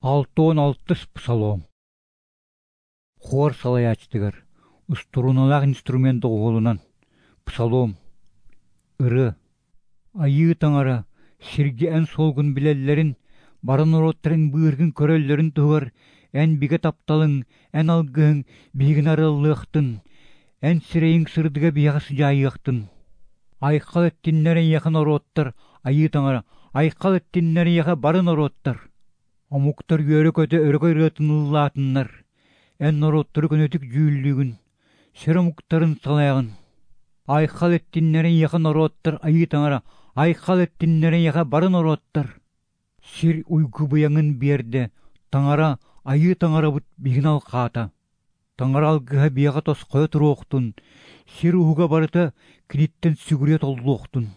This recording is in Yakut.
Алта уон алтыс Псалом. Хор салайааччытыгар устурууналаах инструмент доҕуһуолунан Псалом. Ырыа. Айыы Таҥара, сиргэ Эн суолгун билэллэрин, бары норуоттар Эн быыһыыргын көрөллөрүн туһугар Эн бигэ тапталыҥ, Эн алгыһыҥ биһигини арыаллыахтын, Эн сирэйиҥ сырдыга биһиэхэ сыдьаайыахтын. Айхал эттиннэр эйиэхэ норуоттар, Айыы Таҥара, айхал эттиннэр эйиэхэ бары норуоттар. Омуктар үөрэ-көтө өрөгөй ырыатын ыллаатыннар, эн норуоттары көнөтүк дьүүллүүгүн, сир омуктарын салайаҕын. Айхал эттиннэр эйиэхэ норуоттар Айыы Таҥара, айхал эттиннэр эйиэхэ бары норуоттар. Сир уйгу быйаҥын биэрдэ, Таҥара, Айыы Таҥарабыт биһигини алҕаата. Таҥара алгыһа биһиэхэ тосхойо туруохтун, сир уһуга барыта киниттэн сүгүрүйэ толлуохтун.